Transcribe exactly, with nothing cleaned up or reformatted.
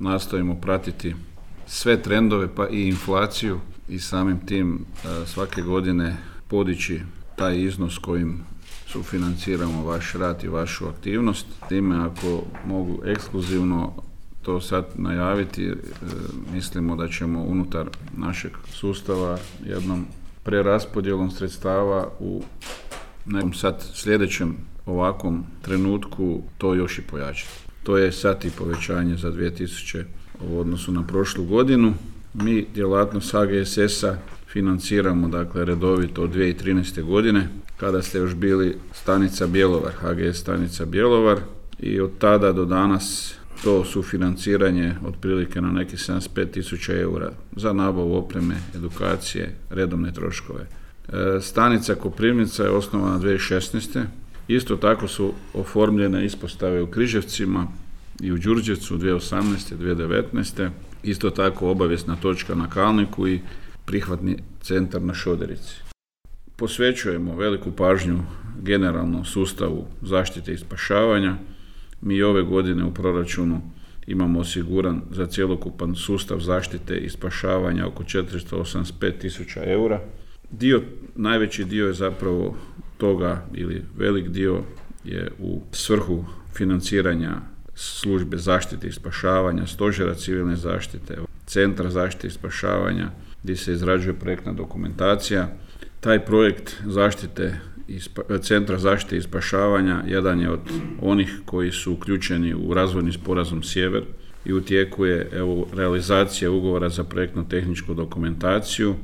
nastojimo pratiti sve trendove pa i inflaciju i samim tim svake godine podići taj iznos kojim sufinanciramo vaš rad i vašu aktivnost. Time ako mogu ekskluzivno to sad najaviti, mislimo da ćemo unutar našeg sustava jednom preraspodjelom sredstava u nekom sad sljedećem ovakvom trenutku to još i pojačati. To je sad i povećanje za dvije tisuće u odnosu na prošlu godinu. Mi djelatnost H G S S-a financiramo dakle redovito od dvije tisuće trinaeste. godine kada ste još bili stanica Bjelovar, H G S stanica Bjelovar, i od tada do danas to sufinanciranje otprilike na nekih sedamdeset pet tisuća eura za nabavu opreme, edukacije, redovne troškove. E, stanica Koprivnica je osnovana dvije tisuće šesnaeste. Isto tako su oformljene ispostave u Križevcima i u Đurđevcu dvije tisuće osamnaeste. dvije tisuće devetnaeste. Isto tako obavijesna točka na Kalniku i prihvatni centar na Šoderici. Posvećujemo veliku pažnju generalno sustavu zaštite i spašavanja. Mi ove godine u proračunu imamo osiguran za cjelokupan sustav zaštite i spašavanja oko četiristo osamdeset pet tisuća eura. Dio, najveći dio je zapravo toga, ili velik dio je u svrhu financiranja službe zaštite i spašavanja, stožera civilne zaštite, centra zaštite i spašavanja, gdje se izrađuje projektna dokumentacija. Taj projekt zaštite i spa, centra zaštite i spašavanja jedan je od onih koji su uključeni u razvojni sporazum Sjever i u tijeku je evo, realizacija ugovora za projektno-tehničku dokumentaciju